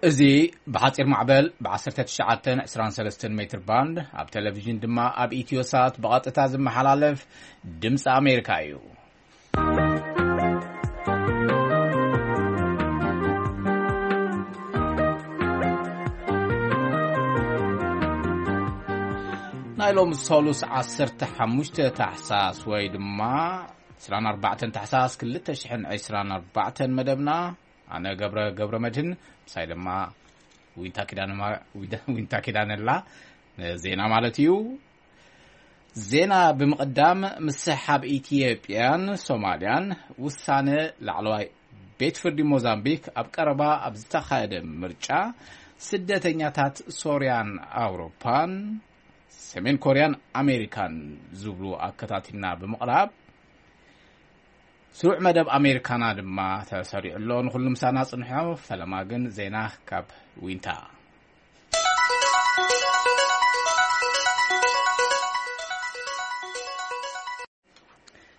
እዚ ብሓጺር ማዕበል ብ1923 ሜትር ባንድ፣ ኣብ ቴሌቪዥን ድማ ኣብ ኢትዮ ሳት ብቐጥታ ዝመሓላለፍ ድምፂ ኣሜሪካ እዩ። ናይ ሎም ሰሉስ 15 ታሕሳስ ወይ ድማ 24 ታሕሳስ 2024 መደብና፣ ኣነ ገብረ ገብረ መድህን፣ ምሳይ ድማ ዊንታ ኪዳነ ማ-፣ ዊንታ ኪዳነላ፣ ዜና ማለት እዩ። ዜና ብምቕዳም፣ ምስሕሓብ ኢትዮጵያን ሶማልያን፣ ውሳነ ላዕለዋይ ቤት ፍርዲ ሞዛምቢክ፣ ኣብ ቀረባ ኣብ ዝተኻየደ ምርጫ ስደተኛታት ሶርያን ኣውሮፓን፣ ሰሜን ኮርያን ኣሜሪካን ዝብሉ ኣከታቲልና ብምቕራብ፣ ስሩዕ መደብ ኣሜሪካና ድማ ተሰሪዑ ኣሎ። ንኹሉ ምሳና ጽንሖ። ፈለማ ግን ዜና ካብ ዊንታ።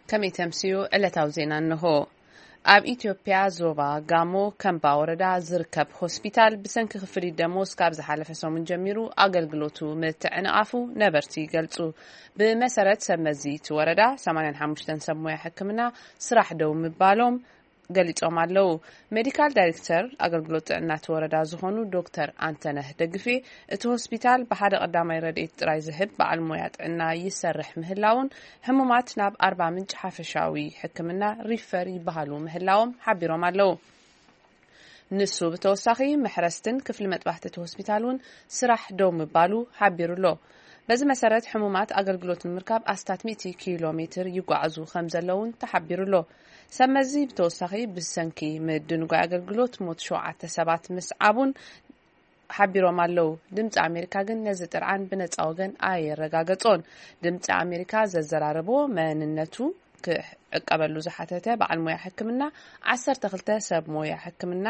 ከመይ ተምስዩ? ዕለታዊ ዜና እንሆ። ኣብ ኢትዮጵያ ዞባ ጋሞ ከምባ ወረዳ ዝርከብ ሆስፒታል ብሰንኪ ክፍሊት ደሞዝ ካብ ዝሓለፈ ሰሙን ጀሚሩ ኣገልግሎቱ ምትዕንቓፉ ነበርቲ ይገልጹ። ብመሰረት ሰብ መዚ እቲ ወረዳ 85 ሰብ ሞያ ሕክምና ስራሕ ደው ምባሎም ገሊጾም ኣለዉ። ሜዲካል ዳይሬክተር ኣገልግሎት ጥዕና እቲ ወረዳ ዝኾኑ ዶክተር ኣንተነህ ደግፌ፣ እቲ ሆስፒታል ብሓደ ቀዳማይ ረድኤት ጥራይ ዝህብ በዓል ሞያ ጥዕና ይሰርሕ ምህላውን፣ ሕሙማት ናብ ኣርባ ምንጭ ሓፈሻዊ ሕክምና ሪፈር ይበሃሉ ምህላዎም ሓቢሮም ኣለዉ። ንሱ ብተወሳኺ፣ መሕረስትን ክፍሊ መጥባሕቲ እቲ ሆስፒታል እውን ስራሕ ደው ምባሉ ሓቢሩ ኣሎ። በዚ መሰረት፣ ሕሙማት ኣገልግሎት ንምርካብ ኣስታት 100 ኪሎ ሜትር ይጓዓዙ ከም ዘለውን ተሓቢሩ ኣሎ። ሰብ መዚ ብተወሳኺ፣ ብሰንኪ ምድንጓይ ኣገልግሎት ሞት ሸውዓተ ሰባት ምስዓቡን ሓቢሮም ኣለዉ። ድምፂ ኣሜሪካ ግን ነዚ ጥርዓን ብነፃ ወገን ኣየረጋገጾን። ድምፂ ኣሜሪካ ዘዘራረቦ መንነቱ ክዕቀበሉ ዝሓተተ በዓል ሞያ ሕክምና፣ 12 ሰብ ሞያ ሕክምና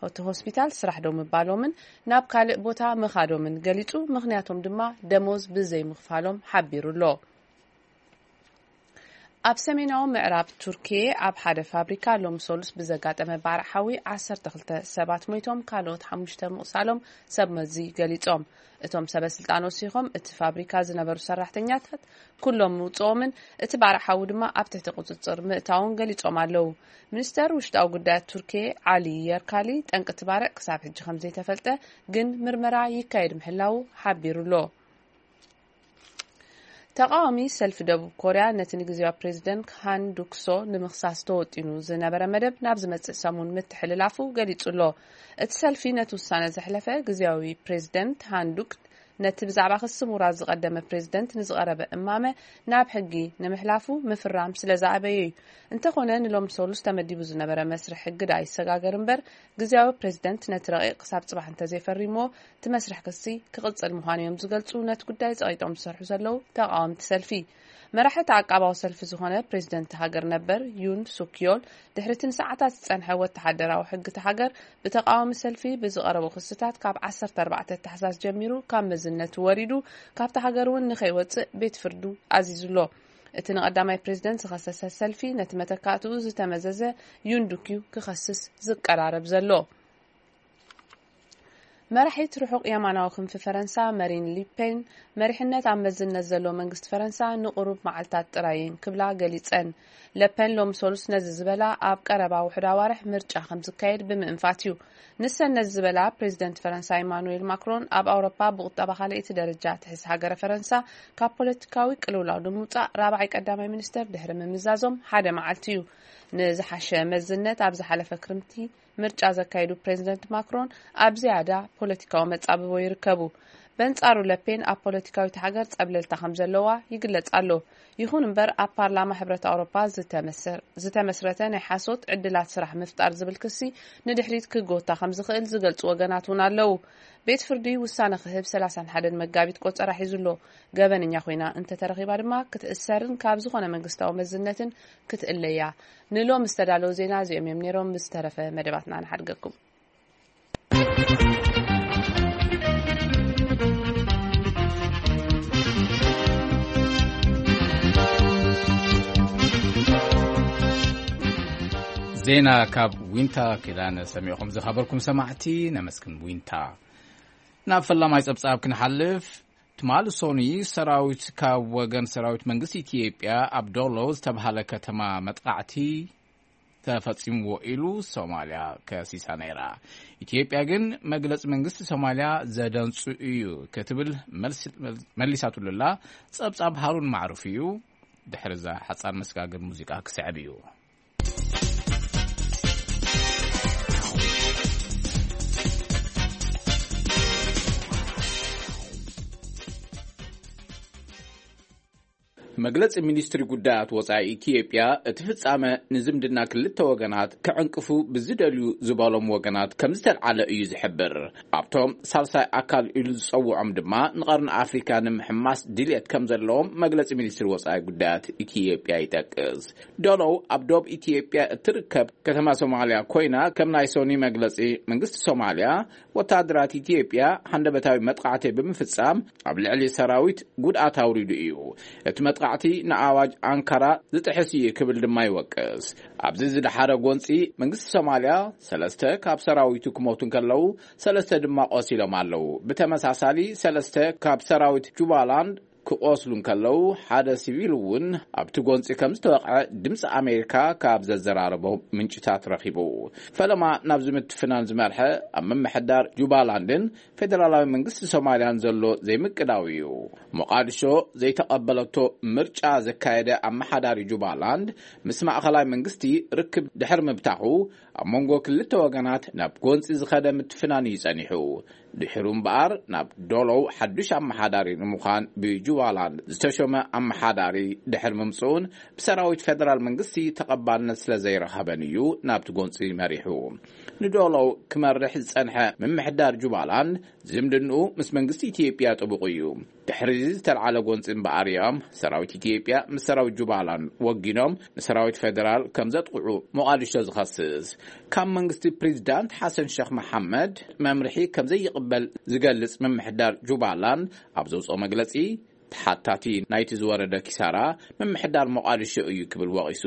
እቲ ሆስፒታል ስራሕ ደው ምባሎምን ናብ ካልእ ቦታ ምኻዶምን ገሊጹ። ምኽንያቶም ድማ ደሞዝ ብዘይምኽፋሎም ሓቢሩ ኣሎ። ኣብ ሰሜናዊ ምዕራብ ቱርኪየ ኣብ ሓደ ፋብሪካ ሎም ሰሉስ ብዘጋጠመ ባርዕ ሓዊ 12 ሰባት ሞይቶም፣ ካልኦት ሓሙሽተ ምቑሳሎም ሰብ መዚ ገሊጾም። እቶም ሰበ ስልጣን ወሲኾም፣ እቲ ፋብሪካ ዝነበሩ ሰራሕተኛታት ኩሎም ምውጽኦምን እቲ ባርዕ ሓዊ ድማ ኣብ ትሕቲ ቁጽጽር ምእታውን ገሊጾም ኣለዉ። ሚኒስተር ውሽጣዊ ጉዳያት ቱርኪየ ዓሊ የርካሊ፣ ጠንቂ እቲ ባርዕ ክሳብ ሕጂ ከም ዘይተፈልጠ ግን ምርመራ ይካየድ ምህላዉ ሓቢሩ ኣሎ። ተቃዋሚ ሰልፊ ደቡብ ኮርያ ነቲ ንግዜያዊ ፕሬዚደንት ሃን ዱክሶ ንምኽሳስ ተወጢኑ ዝነበረ መደብ ናብ ዝመጽእ ሰሙን ምትሕልላፉ ገሊጹ ኣሎ። እቲ ሰልፊ ነቲ ውሳነ ዘሕለፈ፣ ግዜያዊ ፕሬዚደንት ሃን ዱክ ነቲ ብዛዕባ ክሲ ምውራድ ዝቐደመ ፕሬዚደንት ንዝቐረበ እማመ ናብ ሕጊ ንምሕላፉ ምፍራም ስለ ዝኣበየ እዩ። እንተኾነ፣ ንሎም ሰሉስ ተመዲቡ ዝነበረ መስርሕ ሕጊ ደኣ ይሰጋገር እምበር፣ ግዜያዊ ፕሬዚደንት ነቲ ረቂቕ ክሳብ ጽባሕ እንተዘይፈሪምዎ፣ እቲ መስርሕ ክሲ ክቕጽል ምዃኑ እዮም ዝገልጹ ነቲ ጉዳይ ጸቒጦም ዝሰርሑ ዘለዉ ተቓወምቲ ሰልፊ። መራሒ እቲ ዓቃባዊ ሰልፊ ዝኾነ ፕሬዚደንት ሃገር ነበር ዩን ሱክዮል፣ ድሕሪ እቲ ንሰዓታት ዝጸንሐ ወተሃደራዊ ሕጊ እቲ ሃገር ብተቓዋሚ ሰልፊ ብዝቐረቡ ክስታት ካብ 14 ታሕሳስ ጀሚሩ ካብ መዝነቱ ወሪዱ፣ ካብቲ ሃገር እውን ንኸይወጽእ ቤት ፍርዱ ኣዚዙ ኣሎ። እቲ ንቐዳማይ ፕሬዚደንት ዝኸሰሰ ሰልፊ ነቲ መተካእትኡ ዝተመዘዘ ዩን ዱክዩ ክኸስስ ዝቀራረብ ዘሎ። መራሒት ርሑቕ የማናዊ ክንፊ ፈረንሳ መሪን ሊፔን፣ መሪሕነት ኣብ መዝነት ዘለዎ መንግስቲ ፈረንሳ ንቁሩብ መዓልታት ጥራይ እየን ክብላ ገሊጸን። ለፐን ሎም ሶሉስ ነዚ ዝበላ፣ ኣብ ቀረባ ውሑድ ኣዋርሕ ምርጫ ከም ዝካየድ ብምእንፋት እዩ። ንሰን ነዚ ዝበላ፣ ፕሬዚደንት ፈረንሳ ኢማኑኤል ማክሮን ኣብ ኣውሮፓ ብቁጠባ ካልኣይቲ ደረጃ ትሕዝ ሃገረ ፈረንሳ ካብ ፖለቲካዊ ቅልውላው ንምውጻእ ራብዓይ ቀዳማይ ሚኒስተር ድሕሪ ምምዛዞም ሓደ መዓልቲ እዩ። ንዝሓሸ መዝነት ኣብ ዝሓለፈ ክርምቲ ምርጫ ዘካየዱ ፕሬዚደንት ማክሮን ኣብ ዝያዳ ፖለቲካዊ መጻብቦ ይርከቡ። በንጻሩ ለፔን ኣብ ፖለቲካዊት ሃገር ጸብለልታ ከም ዘለዋ ይግለጽ ኣሎ። ይኹን እምበር ኣብ ፓርላማ ሕብረት ኣውሮፓ ዝተመሰር-፣ ዝተመስረተ ናይ ሓሶት ዕድላት ስራሕ ምፍጣር ዝብል ክሲ ንድሕሪት ክጎታ ከም ዝኽእል ዝገልጹ ወገናት እውን ኣለዉ። ቤት ፍርዲ ውሳነ ክህብ 31 መጋቢት ቆጸራ ሒዙ ኣሎ። ገበነኛ ኮይና እንተተረኺባ ድማ ክትእሰርን ካብ ዝኾነ መንግስታዊ መዝነትን ክትእለያ። ንሎም ዝተዳለዉ ዜና እዚኦም እዮም ነይሮም። ምስ ተረፈ መደባትና ንሓድገኩም። ዜና ካብ ዊንታ ኪዳነ ሰሚዕኹም ዝኸበርኩም ሰማዕቲ ነመስግን። ዊንታ። ናብ ፈላማይ ጸብጻብ ክንሓልፍ፣ ትማሊ ሶኒ ሰራዊት ካብ ወገን ሰራዊት መንግስቲ ኢትዮጵያ ኣብ ዶሎ ዝተባህለ ከተማ መጥቃዕቲ ተፈጺምዎ ኢሉ ሶማልያ ከሲሳ ነይራ። ኢትዮጵያ ግን መግለጺ መንግስቲ ሶማልያ ዘደንጹ እዩ ክትብል መልሲ መሊሳትሉላ። ጸብጻብ ሃሩን ማዕሩፍ እዩ። ድሕሪ እዛ ሓጻር መስጋገር ሙዚቃ ክስዕብ እዩ። መግለጺ ሚኒስትሪ ጉዳያት ወጻኢ ኢትዮጵያ፣ እቲ ፍጻመ ንዝምድና ክልተ ወገናት ክዕንቅፉ ብዝደልዩ ዝበሎም ወገናት ከም ዝተልዓለ እዩ ዝሕብር። ኣብቶም ሳልሳይ ኣካል ኢሉ ዝጸውዖም ድማ ንቐርኒ ኣፍሪካ ንምሕማስ ድልየት ከም ዘለዎም መግለጺ ሚኒስትሪ ወጻኢ ጉዳያት ኢትዮጵያ ይጠቅስ። ዶሎው ኣብ ዶብ ኢትዮጵያ እትርከብ ከተማ ሶማልያ ኮይና፣ ከም ናይ ሶኒ መግለጺ መንግስቲ ሶማልያ፣ ወታደራት ኢትዮጵያ ሃንደበታዊ መጥቃዕቲ ብምፍጻም ኣብ ልዕሊ ሰራዊት ጉድኣት ኣውሪዱ እዩ። እቲ መጥቃዕቲ ንኣዋጅ ኣንካራ ዝጥሕስ እዩ ክብል ድማ ይወቅስ። ኣብዚ ዝደሓረ ጎንጺ መንግስቲ ሶማልያ፣ ሰለስተ ካብ ሰራዊቱ ክሞቱ እንከለዉ፣ ሰለስተ ድማ ቆሲሎም ኣለዉ። ብተመሳሳሊ፣ ሰለስተ ካብ ሰራዊት ጁባላንድ ክቆስሉ እንከለዉ፣ ሓደ ሲቪል እውን ኣብቲ ጎንጺ ከም ዝተወቕዐ ድምፂ ኣሜሪካ ካብ ዘዘራረቦ ምንጭታት ረኺቡ። ፈለማ ናብዚ ምትፍናን ዝመርሐ ኣብ ምምሕዳር ጁባላንድን ፌደራላዊ መንግስቲ ሶማልያን ዘሎ ዘይምቅዳው እዩ። ሞቃዲሾ ዘይተቐበለቶ ምርጫ ዘካየደ ኣመሓዳሪ ጁባላንድ፣ ምስ ማእኸላይ መንግስቲ ርክብ ድሕሪ ምብታኹ፣ ኣብ መንጎ ክልተ ወገናት ናብ ጎንፂ ዝኸደ ምትፍናን እዩ ጸኒሑ። ድሕሩ እምበኣር፣ ናብ ዶሎው ሓዱሽ ኣመሓዳሪ ንምዃን ብጁባላንድ ዝተሾመ ኣመሓዳሪ ድሕሪ ምምፅኡን ብሰራዊት ፌደራል መንግስቲ ተቐባልነት ስለ ዘይረኸበን እዩ ናብቲ ጎንፂ መሪሑ። ንዶሎው ክመርሕ ዝጸንሐ ምምሕዳር ጁባላንድ ዝምድንኡ ምስ መንግስቲ ኢትዮጵያ ጥቡቕ እዩ። ድሕሪ እዚ ዝተልዓለ ጎንፂ እምበኣር እዮም ሰራዊት ኢትዮጵያ ምስ ሰራዊት ጁባላንድ ወጊኖም ንሰራዊት ፌደራል ከም ዘጥቕዑ ሞቓዲሾ ዝኸስስ። ካብ መንግስቲ ፕሬዚዳንት ሓሰን ሸኽ መሓመድ መምርሒ ከም ዘይቕበል ዝገልጽ ምምሕዳር ጁባላንድ ኣብ ዘውፅኦ መግለጺ፣ ተሓታቲ ናይቲ ዝወረደ ኪሳራ ምምሕዳር ሞቓዲሾ እዩ ክብል ወቒሱ።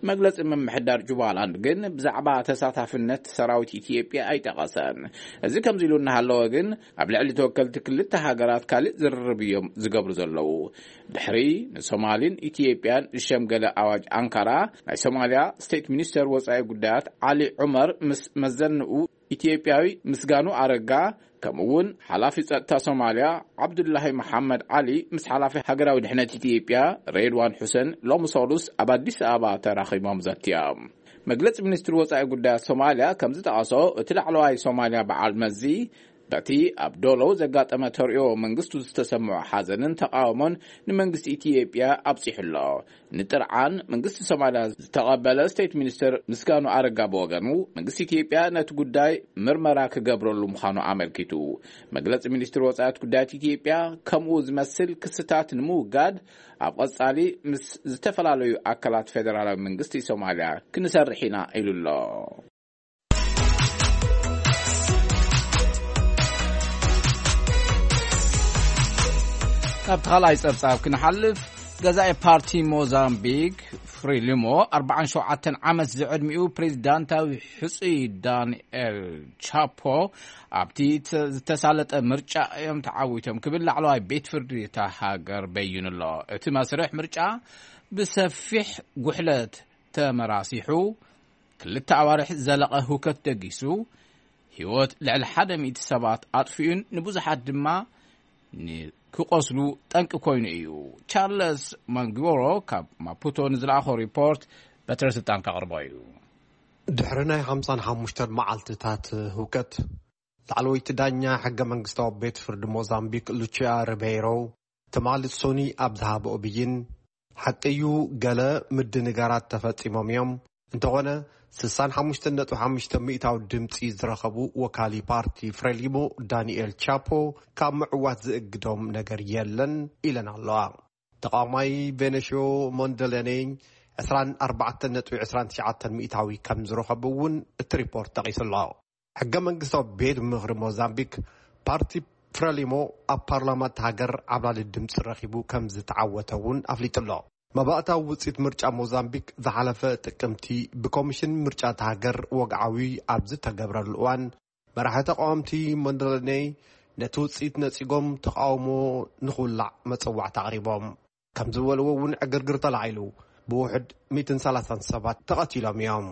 መግለጺ ምምሕዳር ጁባላንድ ግን ብዛዕባ ተሳታፍነት ሰራዊት ኢትዮጵያ ኣይጠቐሰን። እዚ ከምዚ ኢሉ እናሃለወ ግን፣ ኣብ ልዕሊ ተወከልቲ ክልተ ሃገራት ካልእ ዝርርብ እዮም ዝገብሩ ዘለዉ። ድሕሪ ንሶማሊን ኢትዮጵያን ዝሸምገለ ኣዋጅ ኣንካራ፣ ናይ ሶማልያ ስቴት ሚኒስተር ወጻኢ ጉዳያት ዓሊ ዑመር ምስ መዘንኡ ኢትዮጵያዊ ምስጋኑ ኣረጋ፣ ከምኡ እውን ሓላፊ ጸጥታ ሶማልያ ዓብዱላሂ መሓመድ ዓሊ ምስ ሓላፊ ሃገራዊ ድሕነት ኢትዮጵያ ሬድዋን ሑሰን ሎሚ ሰሉስ ኣብ ኣዲስ ኣበባ ተራኺቦም ዘትዮም። መግለጺ ሚኒስትሪ ወጻኢ ጉዳያት ሶማልያ ከም ዝጠቐሶ፣ እቲ ላዕለዋይ ሶማልያ በዓል መዚ በቲ ኣብ ዶሎው ዘጋጠመ ተርእዮ መንግስቱ ዝተሰምዖ ሓዘንን ተቃውሞን ንመንግስቲ ኢትዮጵያ ኣብጺሑ ኣሎ። ንጥርዓን መንግስቲ ሶማልያ ዝተቐበለ ስቴት ሚኒስትር ምስጋኑ ኣረጋ ብወገኑ፣ መንግስቲ ኢትዮጵያ ነቲ ጉዳይ ምርመራ ክገብረሉ ምዃኑ ኣመልኪቱ። መግለጺ ሚኒስትሪ ወጻኢት ጉዳያት ኢትዮጵያ ከምኡ ዝመስል ክስታት ንምውጋድ ኣብ ቀጻሊ ምስ ዝተፈላለዩ ኣካላት ፌደራላዊ መንግስቲ ሶማልያ ክንሰርሕ ኢና ኢሉ ኣሎ። ካብቲ ካልኣይ ጸብጻብ ክንሓልፍ፣ ገዛኢ ፓርቲ ሞዛምቢክ ፍሪሊሞ፣ ኣርባዓን ሸውዓተን ዓመት ዝዕድሚኡ ፕሬዚዳንታዊ ሕጹይ ዳንኤል ቻፖ ኣብቲ ተ-፣ ዝተሳለጠ ምርጫ እዮም ተዓዊቶም ክብል ላዕለዋይ ቤት ፍርዲ እታ ሃገር በይኑ ኣሎ። እቲ መስርሕ ምርጫ ብሰፊሕ ጉሕለት ተመራሲሑ፣ ክልተ ኣዋርሕ ዝዘለቐ ህውከት ደጊሱ፣ ህይወት ልዕሊ ሓደ ሚእቲ ሰባት ኣጥፊኡን ንብዙሓት ድማ ንክቆስሉ ጠንቂ ኮይኑ እዩ። ቻርለስ ማንግቦሮ ካብ ማፑቶ ንዝለኣኾ ሪፖርት በትረ ስልጣን ከቕርቦ እዩ። ድሕሪ ናይ ሓምሳን ሓሙሽተን መዓልትታት ህውከት፣ ላዕለወይቲ ዳኛ ሕገ መንግስታዊ ቤት ፍርዲ ሞዛምቢክ ሉቺያ ሪቤይሮ ትማሊ ሶኒ ኣብ ዝሃበኦ ብይን፣ ሓቂ እዩ፣ ገለ ምድንጋራት ተፈጺሞም እዮም። እንተኾነ፣ ስሳን ሓሙሽተን ነጥቢ ሓሙሽተ ሚእታዊ ድምጺ ዝረኸቡ ወካሊ ፓርቲ ፍሬሊሞ ዳንኤል ቻፖ ካብ ምዕዋት ዝእግዶም ነገር የለን ኢለን ኣለዋ። ተቃዋማይ ቬነሽዮ ሞንደለኔ ዕስራን ኣርባዕተን ነጥቢ ዕስራን ትሽዓተን ሚእታዊ ከም ዝረኸቡ እውን እቲ ሪፖርት ጠቒሱ ኣሎ። ሕገ መንግስታዊ ቤት ምኽሪ ሞዛምቢክ፣ ፓርቲ ፍረሊሞ ኣብ ፓርላማ እታ ሃገር ዓብላሊ ድምፂ ረኺቡ ከም ዝተዓወተ እውን ኣፍሊጡ ኣሎ። መባእታዊ ውፅኢት ምርጫ ሞዛምቢክ ዝሓለፈ ጥቅምቲ ብኮሚሽን ምርጫ እታ ሃገር ወግዓዊ ኣብ ዝተገብረሉ እዋን፣ መራሒ ተቃወምቲ መንደለኔ ነቲ ውፅኢት ነፂጎም ተቃውሞ ንክውላዕ መፀዋዕታ ኣቕሪቦም። ከም ዝበልዎ እውን ዕግርግር ተላዒሉ፣ ብውሕድ ሚእትን ሰላሳን ሰባት ተቐቲሎም እዮም።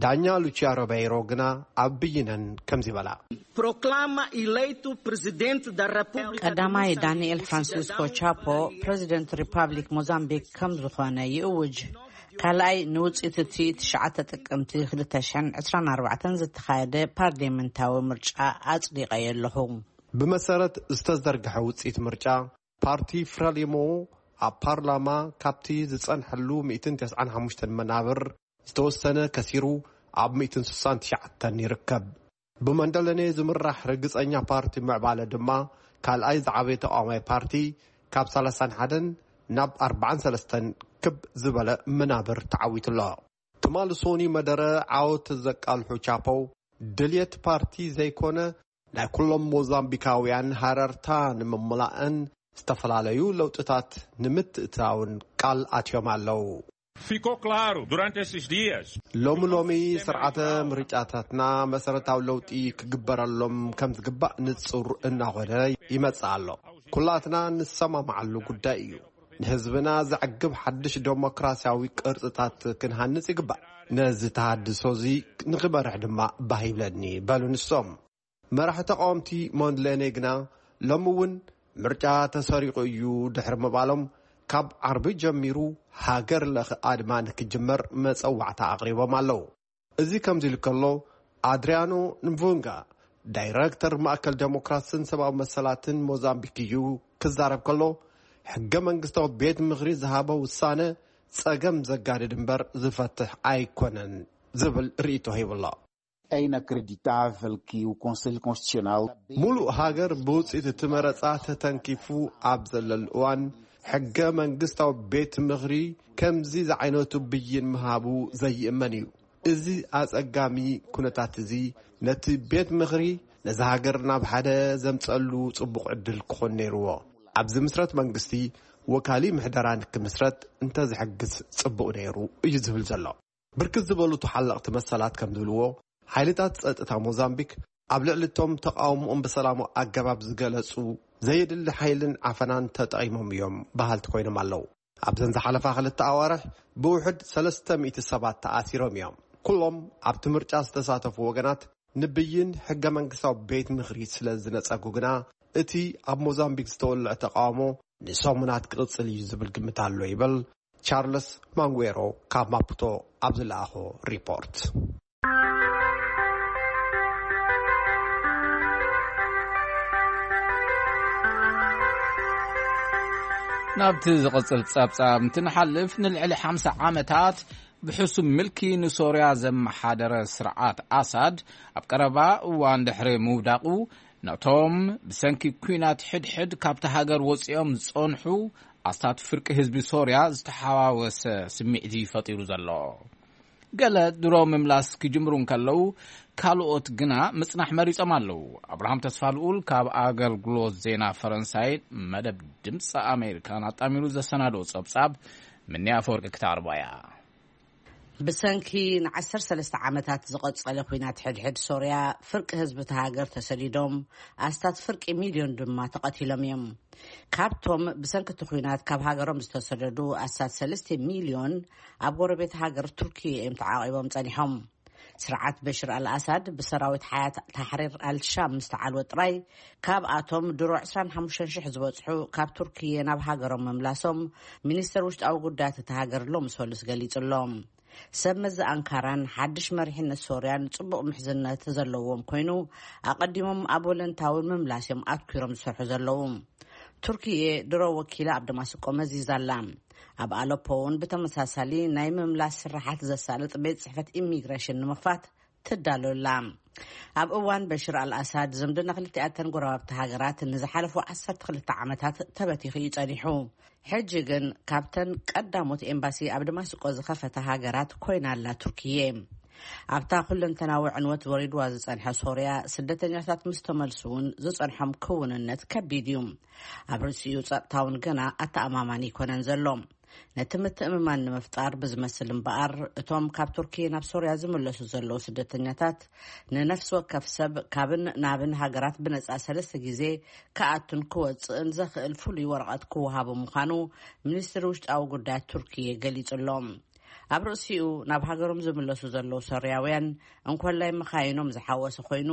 ዳኛ ሉቺያ ሮቤይሮ ግና ኣብ ብይነን ከምዚ በላ። Proclama eleito presidente da República de ቀዳማይ Moçambique, ዳንኤል ፍራንሲስኮ cidadão ቻፖ ፕሬዚደንት ሪፓብሊክ ሞዛምቢክ ከም ዝኾነ ይእውጅ። ካልኣይ ንውፅኢት እቲ ትሽዓተ ጥቅምቲ ክልተ ሽሕን ዕስራን ኣርባዕተን ዝተኻየደ ፓርሊመንታዊ ምርጫ ኣፅዲቐዮ ኣለኹ። ብመሰረት ዝተዘርግሐ ውፅኢት ምርጫ፣ ፓርቲ ፍረሊሞ ኣብ ፓርላማ ካብቲ ዝጸንሐሉ ሚእትን ተስዓን ሓሙሽተን መናብር ዝተወሰነ ከሲሩ፣ ኣብ ሚእትን ስሳን ትሽዓተን ይርከብ። ብመንደለኔ ዝምራሕ ርግጸኛ ፓርቲ ምዕባለ ድማ፣ ካልኣይ ዝዓበየ ተቃዋማይ ፓርቲ፣ ካብ ሰላሳን ሓደን ናብ ኣርባዓን ሰለስተን ክብ ዝበለ መናብር ተዓዊቱ ኣሎ። ትማሊ ሶኒ መደረ ዓወት ዘቃልሑ ቻፖ፣ ድልየት ፓርቲ ዘይኮነ፣ ናይ ኩሎም ሞዛምቢካውያን ሃረርታ ንምምላእን ዝተፈላለዩ ለውጥታት ንምትእትታውን ቃል ኣትዮም ኣለዉ። Ficou claro durante esses dias. ሎሚ ሎሚ ስርዓተ ምርጫታትና መሰረታዊ ለውጢ ክግበረሎም ከም ዝግባእ ንጹር እናኾነ ይመጽእ ኣሎ። ኩላትና ንሰማማዓሉ ጉዳይ እዩ። ንህዝብና ዘዕግብ ሓድሽ ዴሞክራሲያዊ ቅርጽታት ክንሃንጽ ይግባእ። ነዚ ተሃድሶ እዚ ንኽመርሕ ድማ ባህ ይብለኒ፣ በሉ ንሶም። መራሒ ተቃወምቲ ሞንድሌኔ ግና ሎሚ እውን ምርጫ ተሰሪቑ እዩ ድሕሪ ምባሎም፣ ካብ ዓርቢ ጀሚሩ ሃገር ለኸ ኣድማ ንክጅመር መጸዋዕታ ኣቕሪቦም ኣለዉ። እዚ ከምዚ ኢሉ ከሎ፣ ኣድሪያኖ ንቡንጋ ዳይረክተር ማእከል ዴሞክራስን ሰብኣዊ መሰላትን ሞዛምቢክ እዩ ክዛረብ ከሎ፣ ሕገ መንግስታዊ ቤት ምኽሪ ዝሃቦ ውሳነ ጸገም ዘጋድድ እምበር ዝፈትሕ ኣይኮነን ዝብል ርእይቶ ሂቡ ኣሎ። É inacreditável que o Conselho Constitucional ሙሉእ ሃገር ብውፅኢት እቲ መረፃ ተተንኪፉ ኣብ ዘለሉ እዋን፣ ሕገ መንግስታዊ ቤት ምኽሪ ከምዚ ዝዓይነቱ ብይን ምሃቡ ዘይእመን እዩ። እዚ ኣፀጋሚ ኩነታት እዚ ነቲ ቤት ምኽሪ ነዚ ሃገር ናብ ሓደ ዘምፀሉ ፅቡቕ ዕድል ክኾን ነይርዎ። ኣብ ዝምስረት መንግስቲ ወካሊ ምሕደራ ንክምስረት እንተዝሕግዝ ፅቡቕ ነይሩ እዩ ዝብል ዘሎ። ብርክት ዝበሉ ተሓለቕቲ መሰላት ከም ዝብልዎ፣ ሓይልታት ጸጥታ ሞዛምቢክ ኣብ ልዕሊ እቶም ተቓውሞኦም ብሰላማዊ ኣገባብ ዝገለጹ ዘየድሊ ሓይልን ዓፈናን ተጠቒሞም እዮም በሃልቲ ኮይኖም ኣለዉ። ኣብዘን ዝሓለፋ ክልተ ኣዋርሕ ብውሕድ ሰለስተ ሚእቲ ሰባት ተኣሲሮም እዮም። ኩሎም ኣብቲ ምርጫ ዝተሳተፉ ወገናት ንብይን ሕገ መንግስታዊ ቤት ምኽሪ ስለ ዝነጸጉ ግና፣ እቲ ኣብ ሞዛምቢክ ዝተወልዐ ተቓውሞ ንሰሙናት ክቕጽል እዩ ዝብል ግምት ኣሎ ይብል ቻርልስ ማንጉዌሮ ካብ ማፑቶ ኣብ ዝለኣኾ ሪፖርት። ናብቲ ዝቕጽል ጸብጻብ እንትንሓልፍ፣ ንልዕሊ ሓምሳ ዓመታት ብሕሱም ምልኪ ንሶርያ ዘመሓደረ ስርዓት ኣሳድ፣ ኣብ ቀረባ እዋን ድሕሪ ምውዳቑ፣ ነቶም ብሰንኪ ኲናት ሕድሕድ ካብቲ ሃገር ወጺኦም ዝጸንሑ ኣስታት ፍርቂ ህዝቢ ሶርያ ዝተሓዋወሰ ስምዒት እዩ ፈጢሩ ዘሎ። ገለ ድሮ ምምላስ ክጅምሩ እንከለዉ፣ ካልኦት ግና ምጽናሕ መሪጾም ኣለዉ። ኣብርሃም ተስፋልኡል ካብ ኣገልግሎት ዜና ፈረንሳይ መደብ ድምፂ ኣሜሪካን ኣጣሚሩ ዘሰናድኦ ጸብጻብ ምንያ ኣፈወርቂ ክተቕርቦ እያ። ብሰንኪ ንዓሰርተ ሰለስተ ዓመታት ዝቐጸለ ኲናት ሕድሕድ ሶርያ፣ ፍርቂ ህዝቢ እቲ ሃገር ተሰዲዶም፣ ኣስታት ፍርቂ ሚልዮን ድማ ተቐቲሎም እዮም። ካብቶም ብሰንኪ እቲ ኲናት ካብ ሃገሮም ዝተሰደዱ፣ ኣስታት ሰለስተ ሚልዮን ኣብ ጎረቤት ሃገር ቱርኪ እዮም ተዓቒቦም ጸኒሖም። ስርዓት በሽር ኣልኣሳድ ብሰራዊት ሓያት ታሕሪር ኣልሻም ምስ ተዓልወ ጥራይ፣ ካብኣቶም ድሮ ዕስራን ሓሙሽተን ሽሕ ዝበጽሑ ካብ ቱርክየ ናብ ሃገሮም ምምላሶም፣ ሚኒስተር ውሽጣዊ ጉዳያት እታ ሃገር ሎሚ ሰሉስ ገሊጹ ኣሎ። ሰብ መዚ ኣንካራን ሓድሽ መሪሕነት ሶርያን ጽቡቕ ምሕዝነት ዘለዎም ኮይኑ፣ ኣቐዲሞም ኣብ ወለንታዊ ምምላስ እዮም ኣትኲሮም ዝሰርሑ ዘለዉ። ቱርክየ ድሮ ወኪላ ኣብ ደማስቆ መዚዛ ኣላ። ኣብ ኣለፖ እውን ብተመሳሳሊ ናይ ምምላስ ስራሓት ዘሳልጥ ቤት ጽሕፈት ኢሚግሬሽን ንምኽፋት ትዳሎ ኣላ። ኣብ እዋን በሽር ኣልኣሳድ ዝምድና ክልቲኣተን ጎረባብቲ ሃገራት ንዝሓለፉ ዓሰርተ ክልተ ዓመታት ተበቲኹ እዩ ጸኒሑ። ሕጂ ግን ካብተን ቀዳሞት ኤምባሲ ኣብ ደማስቆ ዝኸፈታ ሃገራት ኮይና ኣላ ቱርክየ። ኣብታ ኩለንተናዊ ዕንወት ወሪድዋ ዝጸንሐ ሶርያ፣ ስደተኛታት ምስ ተመልሱ እውን ዝጸንሖም ክውንነት ከቢድ እዩ። ኣብ ርእሲኡ ጸጥታ እውን ገና ኣተኣማማኒ ኣይኮነን ዘሎ። ነቲ ምትእምማን ንምፍጣር ብዝመስል እምበኣር፣ እቶም ካብ ቱርኪ ናብ ሶርያ ዝምለሱ ዘለዉ ስደተኛታት ንነፍሲ ወከፍ ሰብ ካብን ናብን ሃገራት ብነጻ ሰለስተ ግዜ ክኣቱን ክወጽእን ዘኽእል ፍሉይ ወረቐት ክወሃቦ ምዃኑ ሚኒስትሪ ውሽጣዊ ጉዳያት ቱርኪ ገሊጹ ኣሎ። ኣብ ርእሲኡ፣ ናብ ሃገሮም ዝምለሱ ዘለዉ ሶርያውያን፣ እንኮላይ መኻይኖም ዝሓወሰ ኮይኑ፣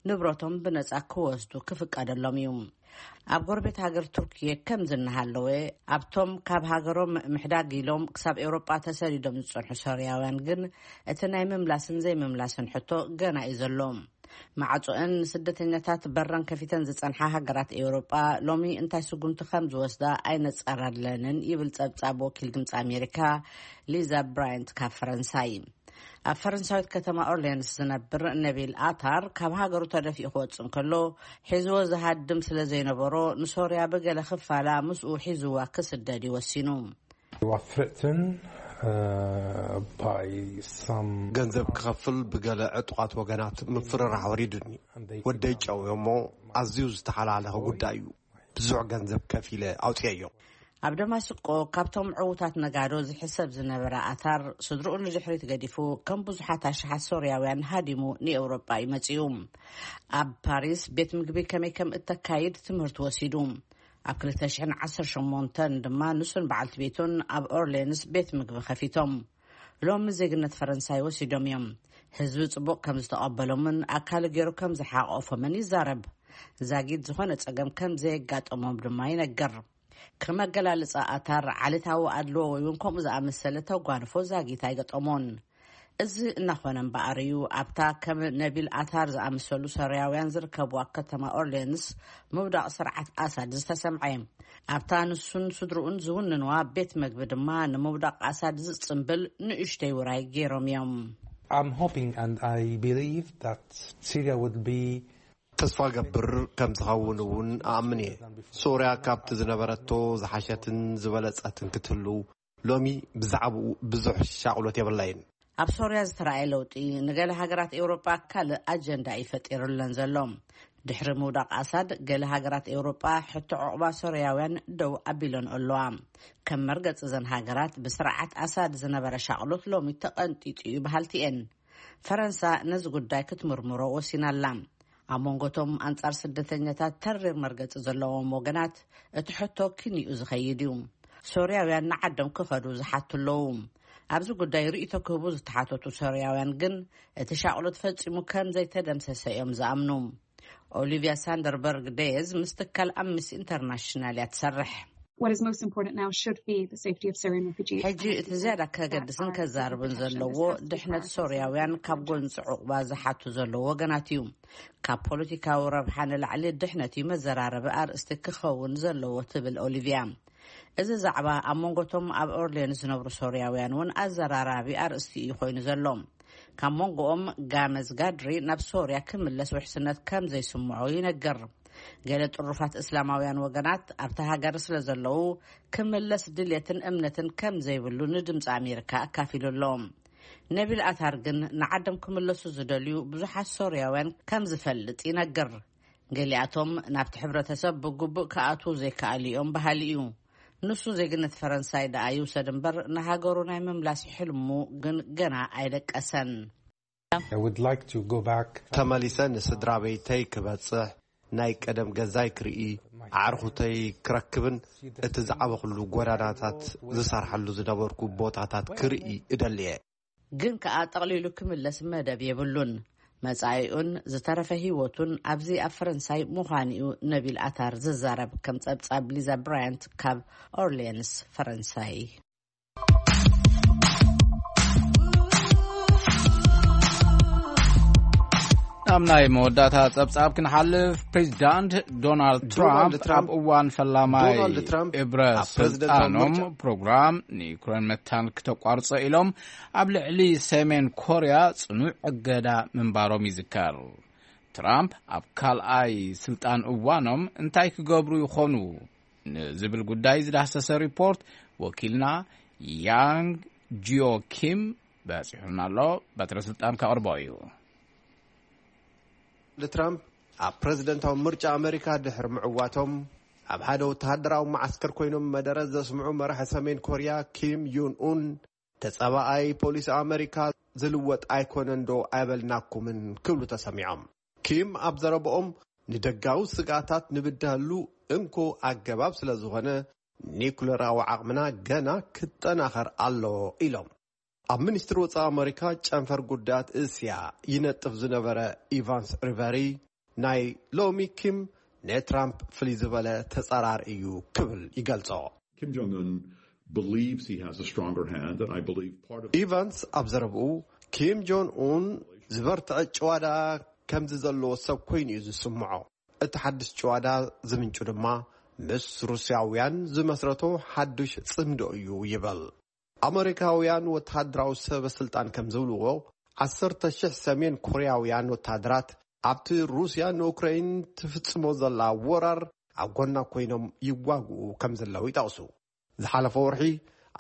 ንብረቶም ብነጻ ክወስዱ ክፍቀደሎም እዩ። ኣብ ጎረቤት ሃገር ቱርኪየ ከምዚ እናሃለወ፣ ኣብቶም ካብ ሃገሮም ምሕዳግ ኢሎም ክሳብ ኤውሮጳ ተሰዲዶም ዝጸንሑ ሶርያውያን ግን፣ እቲ ናይ ምምላስን ዘይምምላስን ሕቶ ገና እዩ ዘሎ። ማዕጾአን ንስደተኛታት በረን ከፊተን ዝጸንሓ ሃገራት ኤውሮጳ፣ ሎሚ እንታይ ስጉምቲ ከም ዝወስዳ ኣይነጸራለንን፣ ይብል ጸብጻብ ወኪል ድምጺ ኣሜሪካ ሊዛ ብራያንት ካብ ፈረንሳይ። ኣብ ፈረንሳዊት ከተማ ኦርሌንስ ዝነብር ነቢል ኣታር፣ ካብ ሃገሩ ተደፊኡ ክወጽእ እንከሎ፣ ሒዝዎ ዝሃድም ስለ ዘይነበሮ፣ ንሶርያ ብገለ ክፋላ ምስኡ ሒዝዋ ክስደድ እዩ ወሲኑ። You are threatened, uh, by some ገንዘብ ክኸፍል ብገለ ዕጡቓት ወገናት ምፍርራሕ ወሪዱኒ። ወደይ ጨውዮሞ፣ ኣዝዩ ዝተሓላለኸ ጉዳይ እዩ። ብዙሕ ገንዘብ ከፊለ ኣውፅየዮ። ኣብ ደማስቆ፣ ካብቶም ዕዉታት ነጋዶ ዝሕሰብ ዝነበረ ኣታር፣ ስድርኡ ንድሕሪት ገዲፉ፣ ከም ብዙሓት ኣሽሓት ሶርያውያን ሃዲሙ ንኤውሮጳ እዩ መጺኡ። ኣብ ፓሪስ ቤት ምግቢ ከመይ ከም እተካይድ ትምህርቲ ወሲዱ። ኣብ ክልተ ሽሕን ዓሰርተ ሸሞንተን ድማ ንሱን በዓልቲ ቤቱን ኣብ ኦርሌንስ ቤት ምግቢ ከፊቶም። ሎሚ ዜግነት ፈረንሳይ ወሲዶም እዮም። ህዝቢ ጽቡቕ ከም ዝተቐበሎምን ኣካሉ ገይሩ ከም ዝሓቆፎምን ይዛረብ። ዛጊት ዝኾነ ጸገም ከም ዘየጋጠሞም ድማ ይነገር። ከም ኣገላልጻ ኣታር፣ ዓሌታዊ ኣድልዎ ወይ እውን ከምኡ ዝኣመሰለ ተጓንፎ ዛጊት ኣይገጠሞን። እዚ እናኾነ እምበኣር እዩ፣ ኣብታ ከም ነቢል ኣታር ዝኣመሰሉ ሶርያውያን ዝርከብዋ ከተማ ኦርሌንስ ምውዳቕ ስርዓት ኣሳድ ዝተሰምዐ። ኣብታ ንሱን ስድርኡን ዝውንንዋ ቤት መግቢ ድማ ንምውዳቕ ኣሳድ ዝጽምብል ንእሽተይ ውራይ ገይሮም እዮም። I'm hoping and I believe that Syria will be ተስፋ ገብር ከም ዝኸውን እውን ኣኣምን እየ። ሶርያ ካብቲ ዝነበረቶ ዝሓሸትን ዝበለጸትን ክትህሉ ሎሚ ብዛዕባኡ ብዙሕ ሻቕሎት የብላይን። ኣብ ሶርያ ዝተራእየ ለውጢ ንገለ ሃገራት ኤውሮጳ ካልእ ኣጀንዳ እዩ ፈጢሩለን ዘሎ። ድሕሪ ምውዳቕ ኣሳድ፣ ገለ ሃገራት ኤውሮጳ ሕቶ ዕቑባ ሶርያውያን ደው ኣቢለን ኣለዋ። ከም መርገጺ እዘን ሃገራት፣ ብስርዓት ኣሳድ ዝነበረ ሻቕሎት ሎሚ ተቐንጢጡ እዩ በሃልቲ እየን። ፈረንሳ ነዚ ጉዳይ ክትምርምሮ ወሲና ኣላ። ኣብ መንጎቶም ኣንጻር ስደተኛታት ተሪር መርገጺ ዘለዎም ወገናት፣ እቲ ሕቶ ኪንኡ ዝኸይድ እዩ። ሶርያውያን ንዓዶም ክኸዱ ዝሓቱ ኣለዉ። ኣብዚ ጉዳይ ርእይቶ ክህቡ ዝተሓተቱ ሶርያውያን ግን፣ እቲ ሻቕሎት ፈጺሙ ከም ዘይተደምሰሰ እዮም ዝኣምኑ። ኦሊቪያ ሳንደርበርግ ደየዝ ምስ ትካል ኣምነስቲ ኢንተርናሽናል እያ ትሰርሕ። What is most important now should be the safety of Syrian refugees. ሕጂ እቲ ዝያዳ ከገድስን ከዛርብን ዘለዎ ድሕነት ሶርያውያን ካብ ጎንፂ ዕቑባ ዝሓቱ ዘለዉ ወገናት እዩ። ካብ ፖለቲካዊ ረብሓ ንላዕሊ ድሕነት እዩ መዘራረቢ ኣርእስቲ ክኸውን ዘለዎ ትብል ኦሊቪያ። እዚ ዛዕባ ኣብ መንጎቶም ኣብ ኦርሌንስ ዝነብሩ ሶርያውያን እውን ኣዘራራቢ ኣርእስቲ እዩ ኮይኑ ዘሎ። ካብ መንጎኦም ጋመዝ ጋድሪ ናብ ሶርያ ክምለስ ውሕስነት ከም ዘይስምዖ ይነግር። ገለ ጥሩፋት እስላማውያን ወገናት ኣብታ ሃገር ስለ ዘለዉ፣ ክምለስ ድልየትን እምነትን ከም ዘይብሉ ንድምፂ ኣሜሪካ ኣካፊሉ ኣሎ። ነቢል ኣታር ግን ንዓዶም ክምለሱ ዝደልዩ ብዙሓት ሶርያውያን ከም ዝፈልጥ ይነግር። ገሊኣቶም ናብቲ ሕብረተሰብ ብግቡእ ክኣትዉ ዘይከኣሉ እዮም በሃሊ እዩ። ንሱ ዜግነት ፈረንሳይ ደኣ ይውሰድ እምበር፣ ንሃገሩ ናይ ምምላስ ሕልሙ ግን ገና ኣይደቀሰን። I would like to go back. ተመሊሰ ንስድራ ቤተይ ክበጽሕ፣ ናይ ቀደም ገዛይ ክርኢ፣ ኣዕርኹተይ ክረክብን እቲ ዝዓበኹሉ ጎዳናታት ዝሰርሐሉ ዝነበርኩ ቦታታት ክርኢ እደሊ እየ። ግን ከኣ ጠቕሊሉ ክምለስ መደብ የብሉን። መጻኢኡን ዝተረፈ ህይወቱን ኣብዚ ኣብ ፈረንሳይ ምዃኑ እዩ ነቢል ኣታር ዝዛረብ፣ ከም ጸብጻብ ሊዛ ብራያንት ካብ ኦርሊየንስ ፈረንሳይ። ናብ ናይ መወዳእታ ጸብጻብ ክንሓልፍ፣ ፕሬዚዳንት ዶናልድ ዶናልድ ትራምፕ ትራምፕ ኣብ እዋን ፈላማይ ዶናልድ ትራምፕ እብረ ኣብ ፕሬዚደንታዊ ስልጣኖም ምርጫ ፕሮግራም ንዩክሬን መታን ክተቋርጾ ኢሎም ኣብ ልዕሊ ሰሜን ኮርያ ጽኑዕ እገዳ ምንባሮም ይዝከር። ትራምፕ ኣብ ካልኣይ ስልጣን እዋኖም እንታይ ክገብሩ ይኾኑ ንዝብል ጉዳይ ዝዳህሰሰ ሪፖርት ወኪልና ያንግ ጂዮ ኪም በጺሑና ኣሎ። በትረ ስልጣን ከቕርቦ እዩ። ትራምፕ ኣብ ፕሬዚደንታዊ ምርጫ ኣመሪካ ድሕሪ ምዕዋቶም ኣብ ሓደ ወተሃደራዊ መዓስከር ኮይኖም መደረ ዘስምዑ መራሒ ሰሜን ኮርያ ኪም ዩን ኡን፣ ተጻባኣይ ፖሊሲ ኣመሪካ ዝልወጥ ኣይኮነን ዶ ኣይበልናኩምን ክብሉ ተሰሚዖም። ኪም ኣብ ዘረባኦም፣ ንደጋዊ ስግኣታት ንብድሃሉ እንኮ ኣገባብ ስለ ዝኾነ፣ ኒኩለራዊ ዓቕምና ገና ክጠናኸር ኣሎ ኢሎም። ኣብ ሚኒስትሪ ወጻኢ ኣመሪካ ጨንፈር ጉዳያት እስያ ይነጥፍ ዝነበረ ኢቫንስ ሪቨሪ፣ ናይ ሎሚ ኪም ንትራምፕ ፍልይ ዝበለ ተጻራሪ እዩ ክብል ይገልጾ። Kim Jong Un believes he has a stronger hand, and I believe part of ኢቫንስ ኣብ ዘረብኡ፣ ኪም ጆን ኡን ዝበርትዐ ጭዋዳ ከምዚ ዘለዎ ሰብ ኮይኑ እዩ ዝስምዖ። እቲ ሓድሽ ጭዋዳ ዝምንጩ ድማ ምስ ሩስያውያን ዝመስረቶ ሓድሽ ጽምዶ እዩ ይብል። ኣመሪካውያን ወተሃደራዊ ሰበ ስልጣን ከም ዝብልዎ፣ ዓሰርተ ሽሕ ሰሜን ኮርያውያን ወተሃደራት ኣብቲ ሩስያ ንኡክራይን ትፍጽሞ ዘላ ወራር ኣብ ጎና ኮይኖም ይዋግኡ ከም ዘለዉ ይጠቕሱ። ዝሓለፈ ወርሒ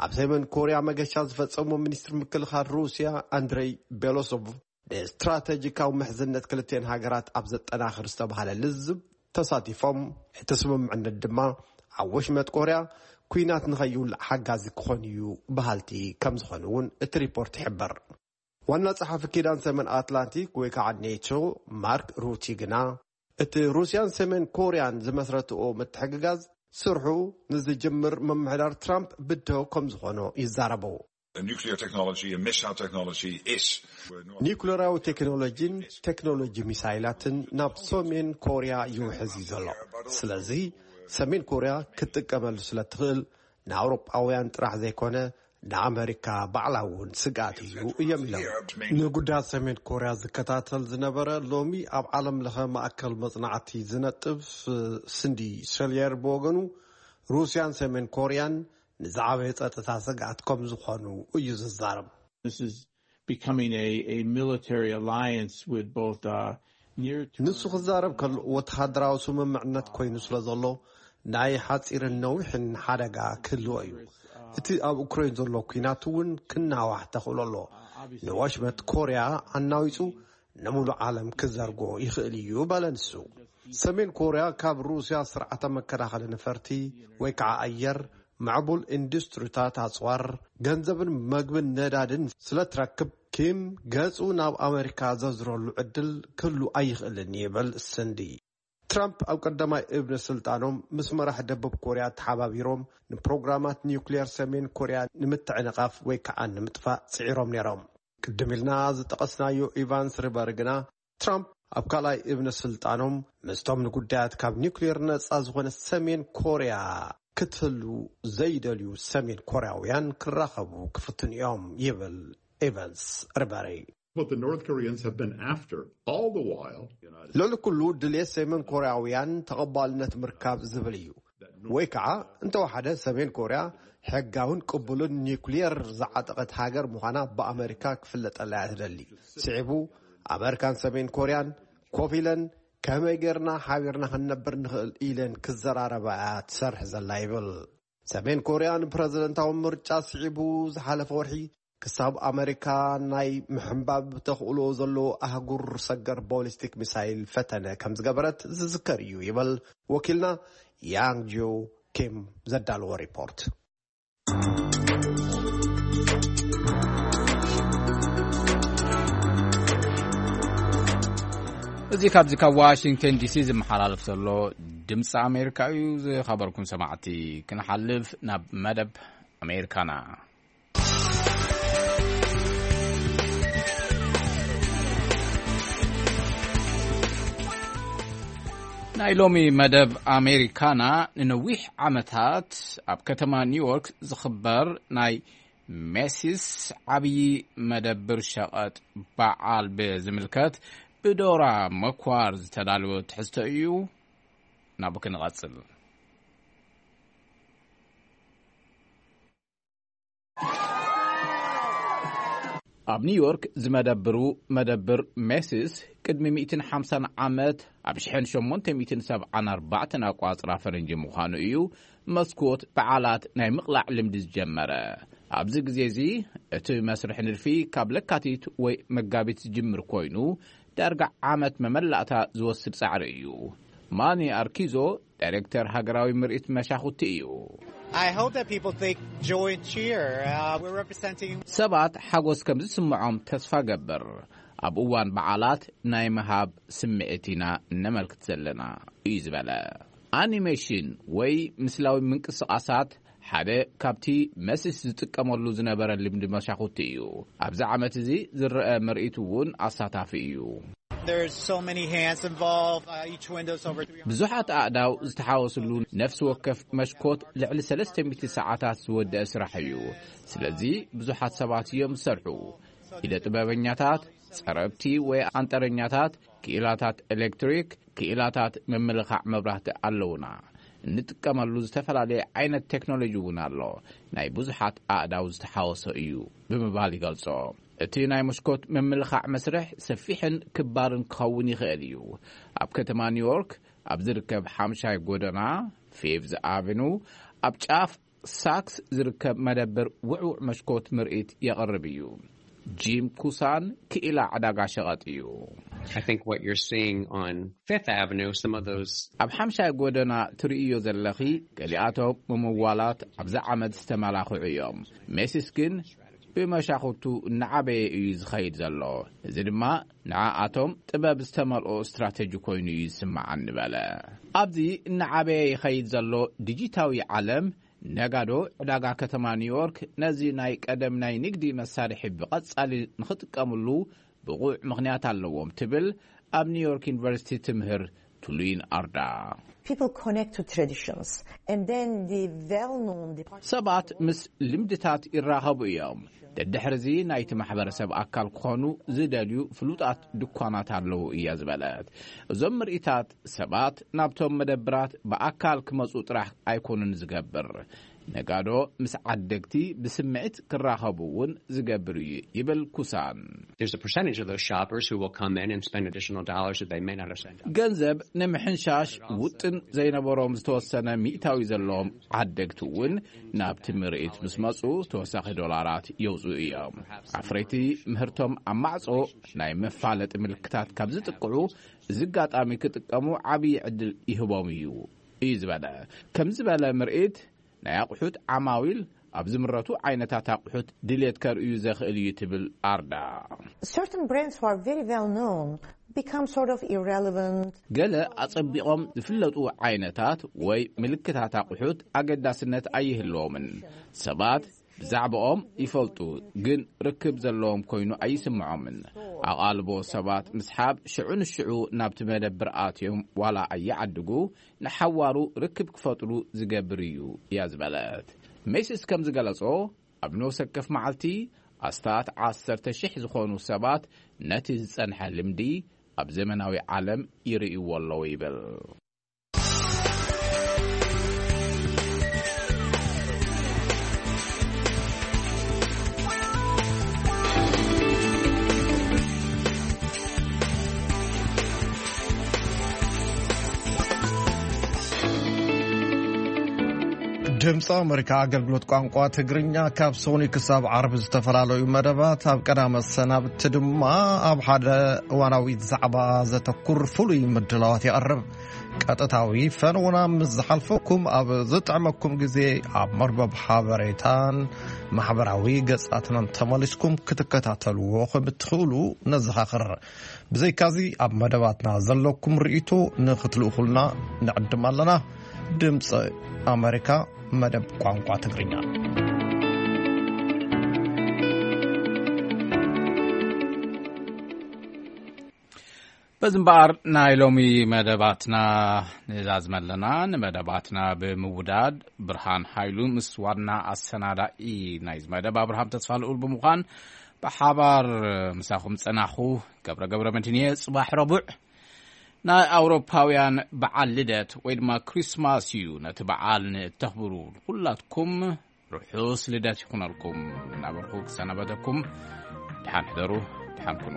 ኣብ ሰሜን ኮርያ መገሻ ዝፈጸሞ ሚኒስትሪ ምክልኻል ሩስያ ኣንድሬይ ቤሎሶቭ፣ ንስትራተጂካዊ ምሕዝነት ክልቲኤን ሃገራት ኣብ ዘጠናኽር ዝተባህለ ልዝብ ተሳቲፎም፣ እቲ ስምምዕነት ድማ ኣብ ወሽመጥ ኮርያ ኲናት ንኸይውላዕ ሓጋዚ ክኾን እዩ በሃልቲ ከም ዝኾኑ እውን እቲ ሪፖርት ይሕብር። ዋና ጸሓፊ ኪዳን ሰሜን ኣትላንቲክ ወይ ከዓ ኔቶ ማርክ ሩቲ ግና፣ እቲ ሩስያን ሰሜን ኮርያን ዝመስረትኦ ምትሕግጋዝ ስርሑ ንዝጅምር ምምሕዳር ትራምፕ ብድሆ ከም ዝኾኖ ይዛረቡ። The nuclear technology and missile technology is ኒኩሌራዊ ቴክኖሎጂን ቴክኖሎጂ ሚሳይላትን ናብ ሰሜን ኮርያ ይውሕዝ እዩ ዘሎ። ስለዚ ሰሜን ኮርያ ክትጥቀመሉ ስለ ትኽእል፣ ንኣውሮጳውያን ጥራሕ ዘይኮነ ንኣመሪካ ባዕላ እውን ስግኣት እዩ እዮም ኢሎም። ንጉዳያት ሰሜን ኮርያ ዝከታተል ዝነበረ፣ ሎሚ ኣብ ዓለም ለኸ ማእከል መጽናዕቲ ዝነጥፍ ስንዲ ሸልየር ብወገኑ፣ ሩስያን ሰሜን ኮርያን ንዝዓበየ ጸጥታ ስግኣት ከም ዝኾኑ እዩ ዝዛረብ። This is becoming a, a military alliance with both uh, near ንሱ ክዛረብ ከሎ፣ ወተሃደራዊ ስምምዕነት ኮይኑ ስለ ዘሎ፣ ናይ ሓጺርን ነዊሕን ሓደጋ ክህልዎ እዩ። እቲ ኣብ ኡክሬን ዘሎ ኲናት እውን ክናዋሕ ተኽእሎ ኣሎ። ንወሽመጥ ኮርያ ኣናዊጹ ንሙሉእ ዓለም ክዘርጎ ይኽእል እዩ በለ ንሱ። ሰሜን ኮርያ ካብ ሩስያ ስርዓተ መከላኸሊ ነፈርቲ ወይ ከዓ ኣየር፣ ምዕቡል ኢንዱስትሪታት ኣጽዋር፣ ገንዘብን መግብን ነዳድን ስለ ትረክብ፣ ኪም ገጹ ናብ ኣመሪካ ዘዝረሉ ዕድል ክህሉ ኣይኽእልን ይብል ስንዲ። ትራምፕ ኣብ ቀዳማይ እብነ ስልጣኖም ምስ መራሕ ደቡብ ኮርያ ተሓባቢሮም ንፕሮግራማት ኒውክሌር ሰሜን ኮርያ ንምትዕንቓፍ ወይ ከዓ ንምጥፋእ ጽዒሮም ነይሮም። ቅድም ኢልና ዝጠቐስናዮ ኢቫንስ ሪቨር ግና፣ ትራምፕ ኣብ ካልኣይ እብነ ስልጣኖም ምስቶም ንጉዳያት ካብ ኒውክሌር ነጻ ዝኾነ ሰሜን ኮርያ ክትህሉ ዘይደልዩ ሰሜን ኮርያውያን ክራኸቡ ክፍትኑ እዮም ይብል ኤቨንስ ሪቨሪ። What the North Koreans have been after all the while, United ልዕሊ ኩሉ ድልየት ሰሜን ኮርያውያን ተቐባልነት ምርካብ ዝብል እዩ። ወይ ከዓ እንተወሓደ ሰሜን ኮርያ ሕጋውን ቅቡልን ኒውክሌር ዝዓጠቐት ሃገር ምዃና ብኣመሪካ ክፍለጠላ እያ ትደሊ። ስዒቡ ኣመሪካን ሰሜን ኮርያን ኮፍ ኢለን ከመይ ጌርና ሓቢርና ክንነብር ንኽእል ኢለን ክዘራረባ እያ ትሰርሕ ዘላ ይብል። ሰሜን ኮርያ ንፕረዚደንታዊ ምርጫ ስዒቡ ዝሓለፈ ወርሒ ክሳብ ኣመሪካ ናይ ምሕንባብ ተኽእሎ ዘለዎ ኣህጉር ሰገር ቦሊስቲክ ሚሳይል ፈተነ ከም ዝገበረት ዝዝከር እዩ ይብል ወኪልና ያንግ ጂዮ ኪም ዘዳለዎ ሪፖርት። እዚ ካብዚ ካብ ዋሽንግተን ዲሲ ዝመሓላለፍ ዘሎ ድምፂ ኣሜሪካ እዩ። ዝኸበርኩም ሰማዕቲ፣ ክንሓልፍ ናብ መደብ ኣሜሪካና። ናይ ሎሚ መደብ ኣሜሪካና፣ ንነዊሕ ዓመታት ኣብ ከተማ ኒውዮርክ ዝኽበር ናይ ሜሲስ ዓብዪ መደብር ሸቐጥ በዓል ብዝምልከት ብዶራ መኳር ዝተዳለወ ትሕዝቶ እዩ። ናብኡ ክንቐጽል። ኣብ ኒውዮርክ ዝመደብሩ መደብር ሜሲስ ቅድሚ ሚእትን ሓምሳን ዓመት ኣብ ሽሕን ሸሞንተ ሚእትን ሰብዓን ኣርባዕተን ኣቋጽራ ፈረንጂ ምዃኑ እዩ መስኮት በዓላት ናይ ምቕላዕ ልምዲ ዝጀመረ። ኣብዚ ግዜ እዚ እቲ መስርሕ ንድፊ ካብ ለካቲት ወይ መጋቢት ዝጅምር ኮይኑ ዳርጋ ዓመት መመላእታ ዝወስድ ጻዕሪ እዩ። ማኒ ኣርኪዞ ዳይሬክተር ሃገራዊ ምርኢት መሻኹቲ እዩ። I hope that people think joy and cheer. Uh, we're representing ሰባት ሓጎስ ከም ዝስምዖም ተስፋ ገብር። ኣብ እዋን በዓላት ናይ ምሃብ ስምዒት ኢና እነመልክት ዘለና፣ እዩ ዝበለ። ኣኒሜሽን ወይ ምስላዊ ምንቅስቓሳት ሓደ ካብቲ መሲስ ዝጥቀመሉ ዝነበረ ልምዲ መሻኹቲ እዩ። ኣብዚ ዓመት እዚ ዝረአ ምርኢት እውን ኣሳታፊ እዩ። There's so many hands involved. Uh, each window's over three hundred. ብዙሓት ኣእዳው ዝተሓወስሉ ነፍሲ ወከፍ መሽኮት ልዕሊ ሰለስተ ሚእቲ ሰዓታት ዝወደአ ስራሕ እዩ። ስለዚ ብዙሓት ሰባት እዮም ዝሰርሑ። ኢደ ጥበበኛታት፣ ጸረብቲ ወይ ኣንጠረኛታት፣ ክኢላታት ኤሌክትሪክ፣ ክኢላታት ምምልኻዕ መብራህቲ ኣለውና። እንጥቀመሉ ዝተፈላለየ ዓይነት ቴክኖሎጂ እውን ኣሎ። ናይ ብዙሓት ኣእዳው ዝተሓወሶ እዩ ብምባል ይገልጾ። እቲ ናይ መስኮት ምምልኻዕ መስርሕ ሰፊሕን ክባርን ክኸውን ይኽእል እዩ። ኣብ ከተማ ኒውዮርክ ኣብ ዝርከብ ሓምሻይ ጎደና ፊፍዝ ኣቨኑ ኣብ ጫፍ ሳክስ ዝርከብ መደብር ውዕውዕ መስኮት ምርኢት የቕርብ እዩ። ጂም ኩሳን ክኢላ ዕዳጋ ሸቐጥ እዩ። I think what you're seeing on Fifth Avenue, some of those ኣብ ሓምሻይ ጎደና ትርእዮ ዘለኺ ገሊኣቶም ምምዋላት ኣብዚ ዓመት ዝተመላኽዑ እዮም። ሜሲስ ግን ብመሻኹቱ እናዓበየ እዩ ዝኸይድ ዘሎ። እዚ ድማ ንዓኣቶም ጥበብ ዝተመልኦ ስትራተጂ ኮይኑ እዩ ዝስምዓኒ በለ። ኣብዚ እናዓበየ ይኸይድ ዘሎ ዲጂታዊ ዓለም ነጋዶ ዕዳጋ ከተማ ኒውዮርክ ነዚ ናይ ቀደም ናይ ንግዲ መሳርሒ ብቐጻሊ ንኽጥቀምሉ ብቑዕ ምኽንያት ኣለዎም ትብል ኣብ ኒውዮርክ ዩኒቨርሲቲ ትምህር ቱሉይን ኣርዳ። People connect to traditions and then the well-known department ሰባት ምስ ልምድታት ይራኸቡ እዮም። ደድሕርዚ ናይቲ ማሕበረሰብ ኣካል ክኾኑ ዝደልዩ ፍሉጣት ድኳናት ኣለዉ እያ ዝበለት። እዞም ምርኢታት ሰባት ናብቶም መደብራት ብኣካል ክመጹ ጥራሕ ኣይኮኑን ዝገብር። ነጋዶ ምስ ዓደግቲ ብስምዒት ክራኸቡ እውን ዝገብር እዩ ይብል ኩሳን። There's a percentage of those shoppers who will come in and spend additional dollars that they may not have spent. ገንዘብ ንምሕንሻሽ ውጥን ዘይነበሮም ዝተወሰነ ሚእታዊ ዘለዎም ዓደግቲ እውን ናብቲ ምርኢት ምስ መጹ ተወሳኺ ዶላራት የውፅኡ እዮም። ኣፍረይቲ ምህርቶም ኣብ ማዕጾ ናይ መፋለጢ ምልክታት ካብ ዝጥቅዑ እዚ ኣጋጣሚ ክጥቀሙ ዓብዪ ዕድል ይህቦም እዩ እዩ ዝበለ። ከም ዝበለ ምርኢት ናይ ኣቑሑት ዓማዊል ኣብ ዝምረቱ ዓይነታት ኣቑሑት ድሌት ከርእዩ ዘኽእል እዩ ትብል ኣርዳ። Certain brands who are very well known become sort of irrelevant. ገለ ኣጸቢቖም ዝፍለጡ ዓይነታት ወይ ምልክታት ኣቑሑት ኣገዳስነት ኣይህልዎምን። ሰባት ብዛዕባኦም ይፈልጡ፣ ግን ርክብ ዘለዎም ኮይኑ ኣይስምዖምን። ኣቓልቦ ሰባት ምስሓብ ሽዑ ንሽዑ ናብቲ መደብር ኣትዮም ዋላ ኣይዓድጉ፣ ንሓዋሩ ርክብ ክፈጥሩ ዝገብር እዩ እያ ዝበለት። ሜሲስ ከም ዝገለጾ ኣብ ነፍሲ ወከፍ መዓልቲ ኣስታት ዓሰርተ ሽሕ ዝኾኑ ሰባት ነቲ ዝጸንሐ ልምዲ ኣብ ዘመናዊ ዓለም ይርእይዎ ኣለዉ ይብል። ድምፂ ኣመሪካ ኣገልግሎት ቋንቋ ትግርኛ ካብ ሶኒ ክሳብ ዓርቢ ዝተፈላለዩ መደባት፣ ኣብ ቀዳመ ሰናብቲ ድማ ኣብ ሓደ እዋናዊ ዛዕባ ዘተኩር ፍሉይ ምድላዋት የቕርብ። ቀጥታዊ ፈነውና ምስ ዝሓልፈኩም፣ ኣብ ዝጥዕመኩም ግዜ ኣብ መርበብ ሓበሬታን ማሕበራዊ ገጻትናን ተመሊስኩም ክትከታተልዎ ከም እትኽእሉ ነዘኻኽር። ብዘይካዚ ኣብ መደባትና ዘለኩም ርእይቶ ንኽትልእኹልና ንዕድም ኣለና። ድምፂ ኣመሪካ፣ መደብ ቋንቋ ትግርኛ። በዚ እምበኣር ናይ ሎሚ መደባትና ንዛዝመ ኣለና። ንመደባትና ብምውዳድ ብርሃን ሃይሉ ምስ ዋና ኣሰናዳኢ ናይዚ መደብ ኣብርሃም ተስፋ ልኡል ብምዃን ብሓባር ምሳኹም ጸናኹ። ገብረ ገብረ መድህን እየ። ጽባሕ ረቡዕ ናይ ኣውሮፓውያን በዓል ልደት ወይ ድማ ክሪስማስ እዩ። ነቲ በዓል ንእተኽብሩ ኩላትኩም ርሑስ ልደት ይኹነልኩም እናበልኩ ክሰናበተኩም፣ ደሓን ሕደሩ፣ ደሓን ኩኑ።